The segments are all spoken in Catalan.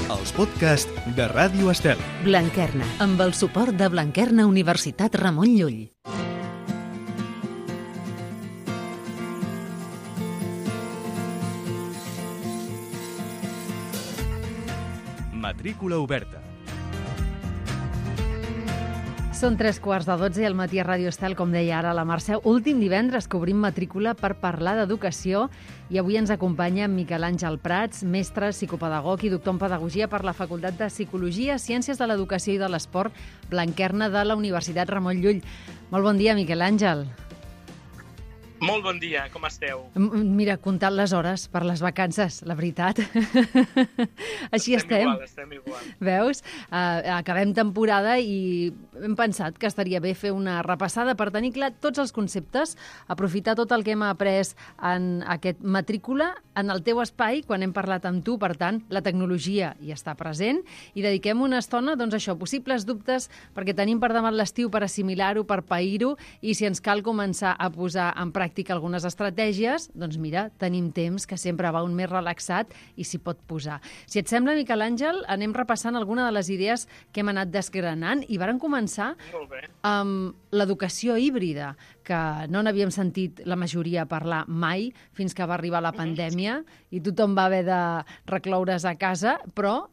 els podcasts de Ràdio Estel. Blanquerna, amb el suport de Blanquerna Universitat Ramon Llull. Matrícula oberta. Són 3:15 al matí a Ràdio Estel, com deia ara la Mercè. Últim divendres que obrim matrícula per parlar d'educació i avui ens acompanya Miquel Àngel Prats, mestre, psicopedagog i doctor en pedagogia per la Facultat de Psicologia, Ciències de l'Educació i de l'Esport, Blanquerna de la Universitat Ramon Llull. Molt bon dia, Miquel Àngel. Molt bon dia, com esteu? Mira, comptant les hores per les vacances, la veritat. Així estem. Estem igual. Veus? Acabem temporada i hem pensat que estaria bé fer una repassada per tenir clar tots els conceptes, aprofitar tot el que hem après en aquest matrícula en el teu espai, quan hem parlat amb tu, per tant, la tecnologia hi està present i dediquem una estona, doncs això, possibles dubtes, perquè tenim per davant l'estiu per assimilar-ho, per pair-ho, i si ens cal començar a posar en pràctica algunes estratègies, doncs mira, tenim temps que sempre va un més relaxat i s'hi pot posar. Si et sembla, Miquel Àngel, anem repassant alguna de les idees que hem anat desgranant i vàrem començar amb l'educació híbrida, que no n'havíem sentit la majoria parlar mai fins que va arribar la pandèmia i tothom va haver de recloure's a casa, però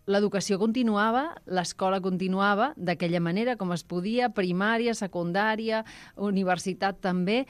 l'educació continuava, l'escola continuava d'aquella manera com es podia, primària, secundària, universitat també.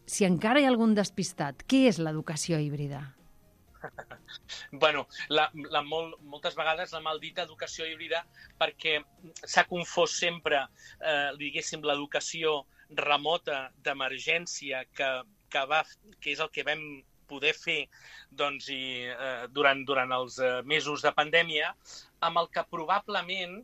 Si encara hi ha algun despistat, què és l'educació híbrida? Bueno, moltes vegades la maldita educació híbrida, perquè s'ha confós sempre, diguéssim, l'educació remota d'emergència que és el que vam poder fer doncs, durant els mesos de pandèmia, amb el que probablement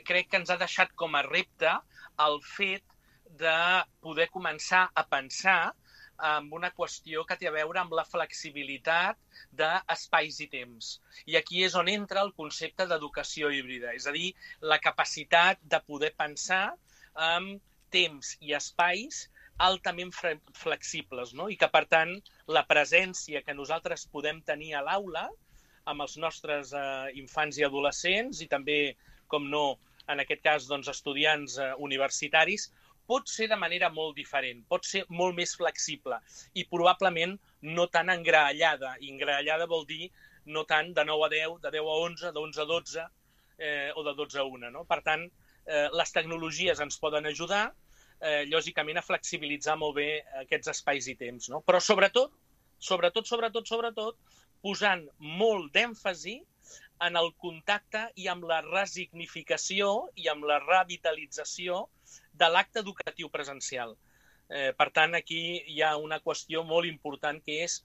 crec que ens ha deixat com a repte el fet de poder començar a pensar amb una qüestió que té a veure amb la flexibilitat d'espais i temps. I aquí és on entra el concepte d'educació híbrida, és a dir, la capacitat de poder pensar amb temps i espais altament flexibles, no? I que, per tant, la presència que nosaltres podem tenir a l'aula amb els nostres infants i adolescents i també, com no, en aquest cas, doncs, estudiants universitaris, pot ser de manera molt diferent, pot ser molt més flexible i probablement no tan engraellada. I engraellada vol dir no tant de 9 a 10, de 10 a 11, de 11 a 12 o de 12 a 1. No? Per tant, les tecnologies ens poden ajudar, lògicament, a flexibilitzar molt bé aquests espais i temps. No? Però sobretot, posant molt d'èmfasi en el contacte i amb la resignificació i amb la revitalització de l'acte educatiu presencial. Per tant, aquí hi ha una qüestió molt important que és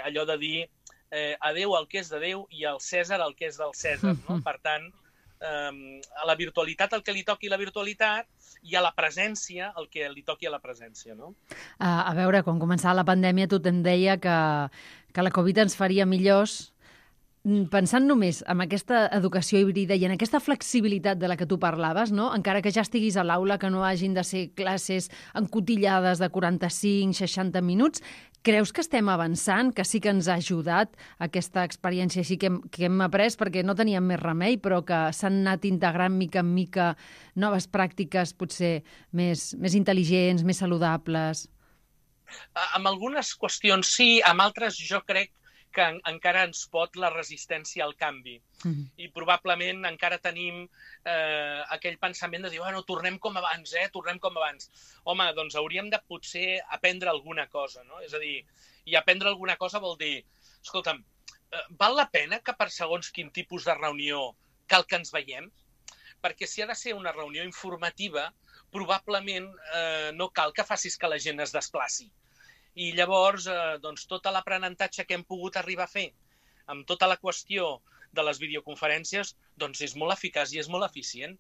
allò de dir a Déu el que és de Déu i al Cèsar el que és del Cèsar. No? Per tant, a la virtualitat el que li toqui la virtualitat i a la presència el que li toqui a la presència. No? A veure, quan començava la pandèmia tothom deia que la Covid ens faria millors. Pensant només en aquesta educació híbrida i en aquesta flexibilitat de la que tu parlaves, no? Encara que ja estiguis a l'aula, que no hagin de ser classes encotillades de 45-60 minuts, creus que estem avançant, que sí que ens ha ajudat aquesta experiència així que hem après, perquè no teníem més remei, però que s'han anat integrant mica en mica noves pràctiques potser més intel·ligents, més saludables? Amb algunes qüestions sí, amb altres jo crec que encara ens pot la resistència al canvi. I probablement encara tenim aquell pensament de dir, bueno, tornem com abans, tornem com abans. Home, doncs hauríem de potser aprendre alguna cosa, no? És a dir, i aprendre alguna cosa vol dir, escolta'm, val la pena que per segons quin tipus de reunió cal que ens veiem? Perquè si ha de ser una reunió informativa, probablement no cal que facis que la gent es desplaci. I llavors, doncs, tot l'aprenentatge que hem pogut arribar a fer amb tota la qüestió de les videoconferències, doncs és molt eficaç i és molt eficient.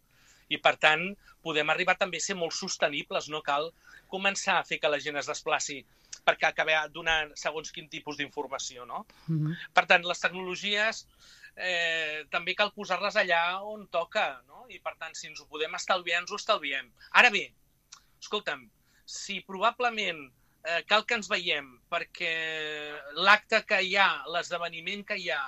I, per tant, podem arribar també a ser molt sostenibles. No cal començar a fer que la gent es desplaci perquè acabar donant segons quin tipus d'informació, no? Per tant, les tecnologies també cal posar-les allà on toca, no? I, per tant, si ens ho podem estalviar, ens ho estalviem. Ara bé, escolta'm, si probablement cal que ens veiem perquè l'acte que hi ha, l'esdeveniment que hi ha,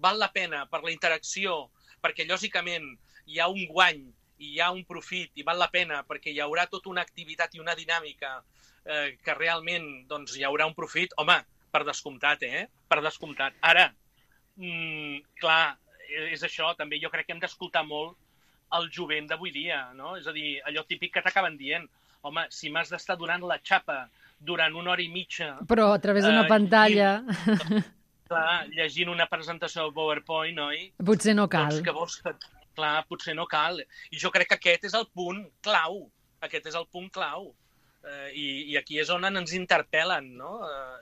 val la pena per la interacció, perquè lògicament hi ha un guany i hi ha un profit i val la pena perquè hi haurà tota una activitat i una dinàmica que realment doncs, hi haurà un profit, home, per descomptat, Per descomptat. Ara, clar, és això, també jo crec que hem d'escoltar molt el jovent d'avui dia, no? És a dir, allò típic que t'acaben dient, home, si m'has d'estar donant la xapa durant 1 hora i mitja... Però a través d'una pantalla... Clar, llegint una presentació del PowerPoint, oi? Potser no cal. Doncs que vols que... Clar, potser no cal. I jo crec que aquest és el punt clau. Aquest és el punt clau. I aquí és on ens interpel·len, no?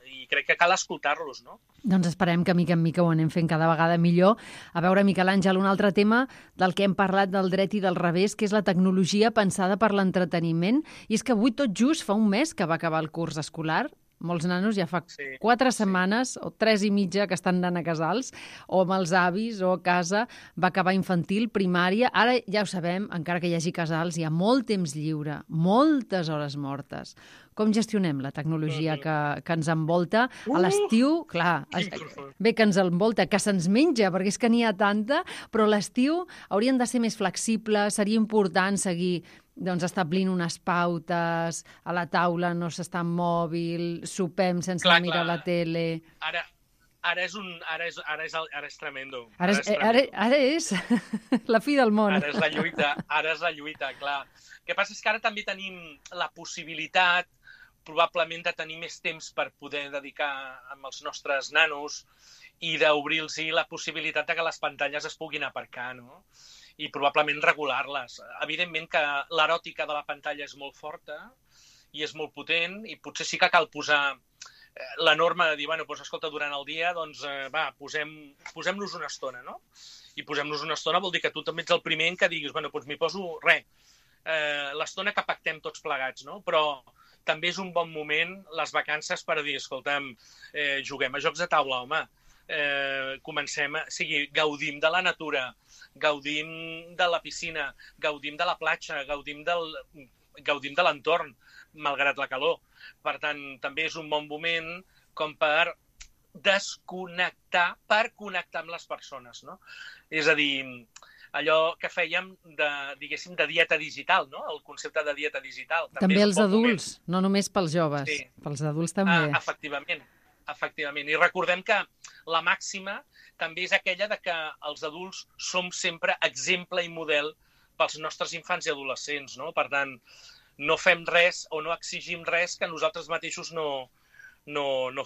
I crec que cal escoltar-los, no? Doncs esperem que mica en mica ho anem fent cada vegada millor. A veure, Miquel Àngel, un altre tema del que hem parlat del dret i del revés, que és la tecnologia pensada per l'entreteniment. I és que avui tot just fa un mes que va acabar el curs escolar. Molts nanos ja fa 4 setmanes o 3 i mitja que estan anant a casals, o amb els avis o a casa, va acabar infantil, primària. Ara ja ho sabem, encara que hi hagi casals, hi ha molt temps lliure, moltes hores mortes. Com gestionem la tecnologia que ens envolta? A l'estiu, clar, bé que ens envolta, que se'ns menja, perquè és que n'hi ha tanta, però a l'estiu haurien de ser més flexibles, seria important seguir establint unes pautes, a la taula no s'està amb mòbil, sopem sense mirar la tele... Ara és tremendo. Ara és la fi del món. Ara és la lluita, clar. El que passa és que ara també tenim la possibilitat, probablement, de tenir més temps per poder dedicar amb els nostres nanos i d'obrir-los la possibilitat de que les pantalles es puguin aparcar, no? I probablement regular-les. Evidentment que l'eròtica de la pantalla és molt forta i és molt potent i potser sí que cal posar la norma de dir, bueno, doncs, escolta, durant el dia, doncs, va, posem-nos una estona, no? I posem-nos una estona vol dir que tu també ets el primer en què diguis, bueno, doncs m'hi poso, l'estona que pactem tots plegats, no? Però també és un bon moment, les vacances, per dir, escolta'm, juguem a jocs de taula, home, gaudim de la natura, gaudim de la piscina, gaudim de la platja, gaudim de l'entorn, malgrat la calor. Per tant, també és un bon moment com per desconnectar, per connectar amb les persones, no? És a dir, allò que fèiem diguéssim, de dieta digital, no? El concepte de dieta digital. També els adults, no només pels joves, pels adults també. Efectivament. I recordem que la màxima també és aquella de que els adults som sempre exemple i model pels nostres infants i adolescents, no? Per tant, no fem res o no exigim res que nosaltres mateixos no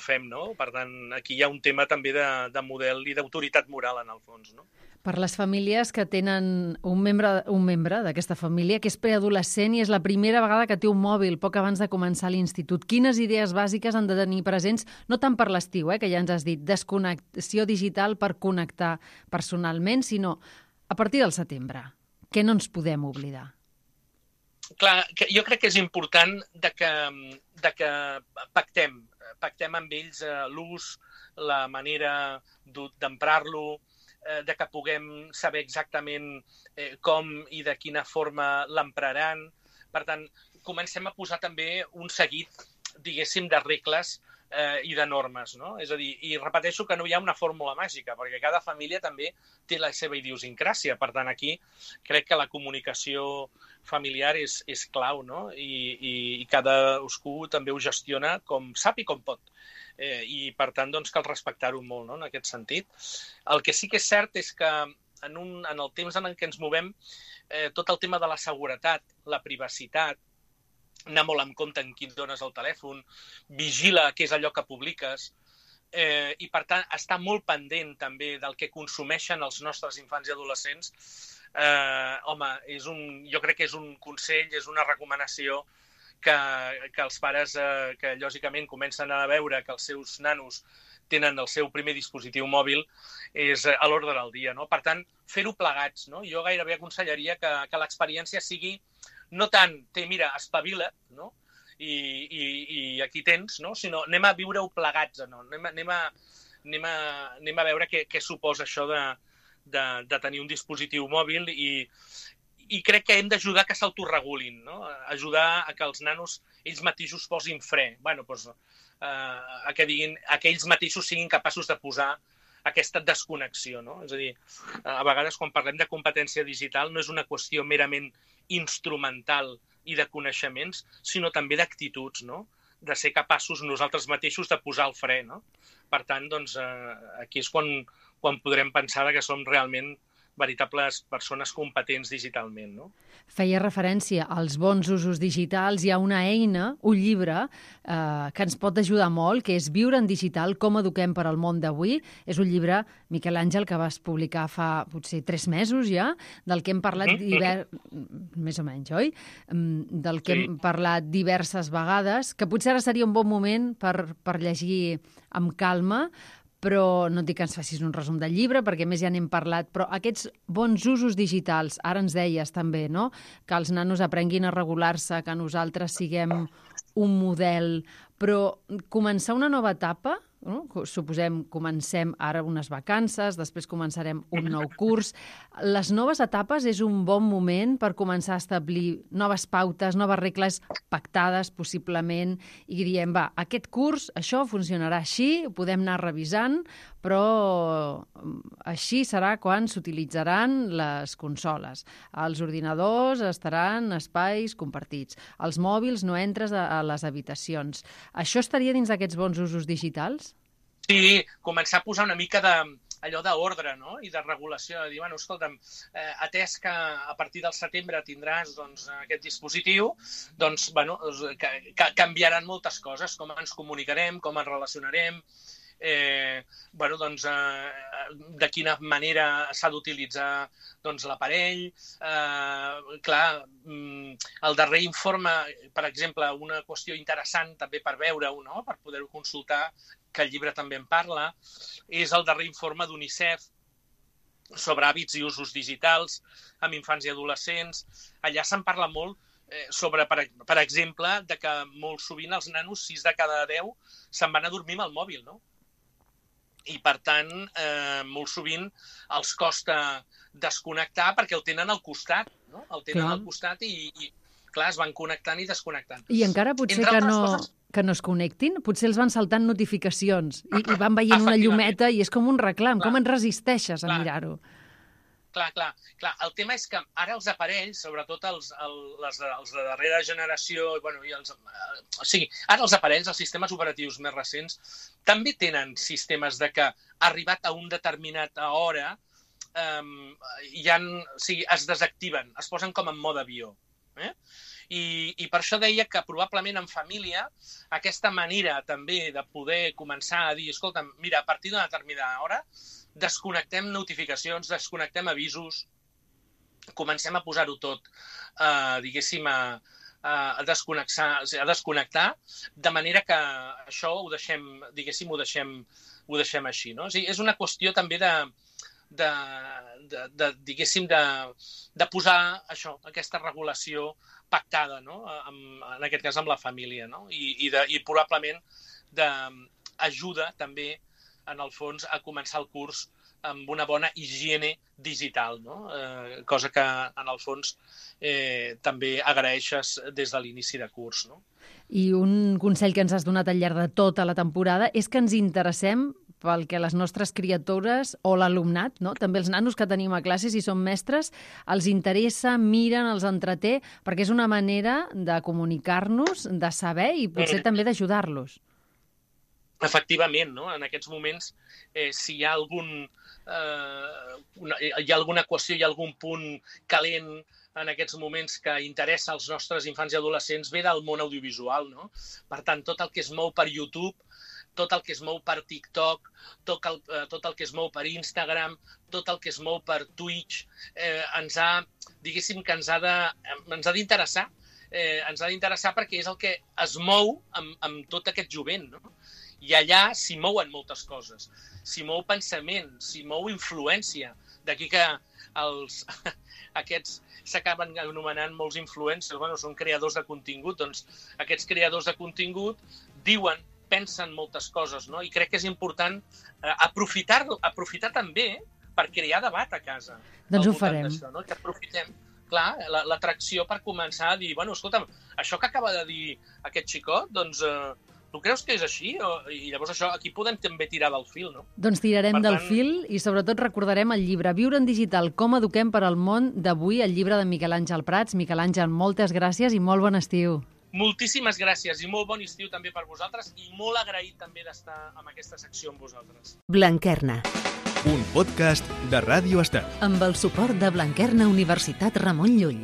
fem, no? Per tant, aquí hi ha un tema també de model i d'autoritat moral, en el fons, no? Per les famílies que tenen un membre d'aquesta família que és preadolescent i és la primera vegada que té un mòbil poc abans de començar l'institut, quines idees bàsiques han de tenir presents, no tant per l'estiu, que ja ens has dit, desconnexió digital per connectar personalment, sinó a partir del setembre? Què no ens podem oblidar? Clar, jo crec que és important que pactem amb ells l'ús, la manera d'emprar-lo, de que puguem saber exactament com i de quina forma l'empraran. Per tant, comencem a posar també un seguit, diguéssim, de regles i de normes, no? És a dir, i repeteixo que no hi ha una fórmula màgica, perquè cada família també té la seva idiosincràsia. Per tant, aquí crec que la comunicació familiar és clau, no? I cadascú també ho gestiona com sap i com pot. I, per tant, doncs, cal respectar-ho molt, no?, en aquest sentit. El que sí que és cert és que en el temps en què ens movem, tot el tema de la seguretat, la privacitat, anar molt en compte en qui et dones el telèfon, vigila què és allò que publiques, i, per tant, estar molt pendent també del que consumeixen els nostres infants i adolescents, home, jo crec que és un consell, és una recomanació que els pares que lògicament comencen a veure que els seus nanos tenen el seu primer dispositiu mòbil és a l'ordre del dia, no? Per tant, fer-ho plegats, no? Jo gairebé aconsellaria que l'experiència sigui no tant, mira, espavila't, no? I aquí tens, no? Sinó anem a viure-ho plegats, no? Anem a veure què suposa això de tenir un dispositiu mòbil i crec que hem d'ajudar que s'autoregulin, no? Ajudar a que els nanos ells mateixos posin fre. Bueno, doncs, que ells mateixos siguin capaços de posar aquesta desconnexió, no? És a dir, a vegades quan parlem de competència digital no és una qüestió merament instrumental i de coneixements, sinó també d'actituds, no? De ser capaços nosaltres mateixos de posar el fre, no? Per tant, doncs, aquí és quan podrem pensar que som realment veritables persones competents digitalment, no? Feia referència als bons usos digitals. Hi ha una eina, un llibre, que ens pot ajudar molt, que és Viure en digital, com eduquem per al món d'avui. És un llibre, Miquel Àngel, que vas publicar fa potser 3 mesos ja, del que hem parlat més o menys, oi? Del que hem parlat diverses vegades, que potser ara seria un bon moment per llegir amb calma, però no et dic que ens facis un resum del llibre, perquè més ja n'hem parlat, però aquests bons usos digitals, ara ens deies també, no?, que els nanos aprenguin a regular-se, que nosaltres siguem un model, però començar una nova etapa, no? Suposem, comencem ara unes vacances, després començarem un nou curs. Les noves etapes és un bon moment per començar a establir noves pautes, noves regles pactades, possiblement, i diem, va, aquest curs, això funcionarà així, ho podem anar revisant, però així serà quan s'utilitzaran les consoles. Els ordinadors estaran en espais compartits. Els mòbils no entres a les habitacions. Això estaria dins d'aquests bons usos digitals? Sí, començar a posar una mica allò d'ordre, no? I de regulació, de dir, bueno, escolta'm, atès que a partir del setembre tindràs doncs, aquest dispositiu, doncs, bueno, canviaran moltes coses, com ens comunicarem, com ens relacionarem, bueno, doncs, de quina manera s'ha d'utilitzar doncs, l'aparell. Clar, el darrer informe, per exemple, una qüestió interessant també per veure-ho, no? Per poder-ho consultar, que el llibre també en parla, és el darrer informe d'UNICEF sobre hàbits i usos digitals amb infants i adolescents. Allà se'n parla molt sobre, per exemple, de que molt sovint els nanos, 6 de cada 10, se'n van a dormir amb el mòbil, no? I, per tant, molt sovint els costa desconnectar perquè el tenen al costat, no? El tenen al costat i clar, es van connectant i desconnectant. I encara potser que no es connectin, potser els van saltant notificacions i van veient una llumeta i és com un reclam. Com et resisteixes a mirar-ho? Clar. El tema és que ara els aparells, sobretot els de darrera generació, bueno, o sigui, ara els aparells, els sistemes operatius més recents, també tenen sistemes de que arribat a una determinada hora es desactiven, es posen com en mode avió. I per això deia que probablement en família aquesta manera també de poder començar a dir, escolta, mira, a partir d'una determinada hora desconnectem notificacions, desconnectem avisos, comencem a posar-ho tot, diguéssim, a desconnectar, de manera que això ho deixem, diguéssim, ho deixem així, no? O sigui, és una qüestió també diguéssim, de posar això, aquesta regulació pactada, no? En aquest cas amb la família, no? I probablement d'ajuda també, en el fons, a començar el curs amb una bona higiene digital, no? Cosa que, en el fons, també agraeixes des de l'inici de curs, no? I un consell que ens has donat al llarg de tota la temporada és que ens interessem pel que les nostres criatures o l'alumnat, no? També els nanos que tenim a classe, si són mestres, els interessa, miren, els entreté, perquè és una manera de comunicar-nos, de saber i potser també d'ajudar-los. Efectivament, no? En aquests moments, si hi ha alguna qüestió, hi ha algun punt calent en aquests moments que interessa als nostres infants i adolescents, ve del món audiovisual, no? Per tant, tot el que es mou per YouTube, tot el que es mou per TikTok, tot el que es mou per Instagram, tot el que es mou per Twitch, diguéssim que ens ha d'interessar. Ens ha d'interessar perquè és el que es mou amb tot aquest jovent, no? I allà s'hi mouen moltes coses. S'hi mou pensament, s'hi mou influència. D'aquí que aquests s'acaben anomenant molts influencers, bueno, són creadors de contingut, doncs aquests creadors de contingut diuen, pensen moltes coses, no? I crec que és important aprofitar també per crear debat a casa. Doncs ho farem. Això, no? Que aprofitem, clar, l'atracció per començar a dir, bueno, escolta'm, això que acaba de dir aquest xicot, doncs Tu creus que és així? I llavors això, aquí podem també tirar del fil, no? Doncs tirarem del fil i sobretot recordarem el llibre Viure en digital, com eduquem per al món d'avui, el llibre de Miquel Àngel Prats. Miquel Àngel, moltes gràcies i molt bon estiu. Moltíssimes gràcies i molt bon estiu també per vosaltres i molt agraït també d'estar amb aquesta secció amb vosaltres. Blanquerna. Un podcast de Ràdio Estel. Amb el suport de Blanquerna Universitat Ramon Llull.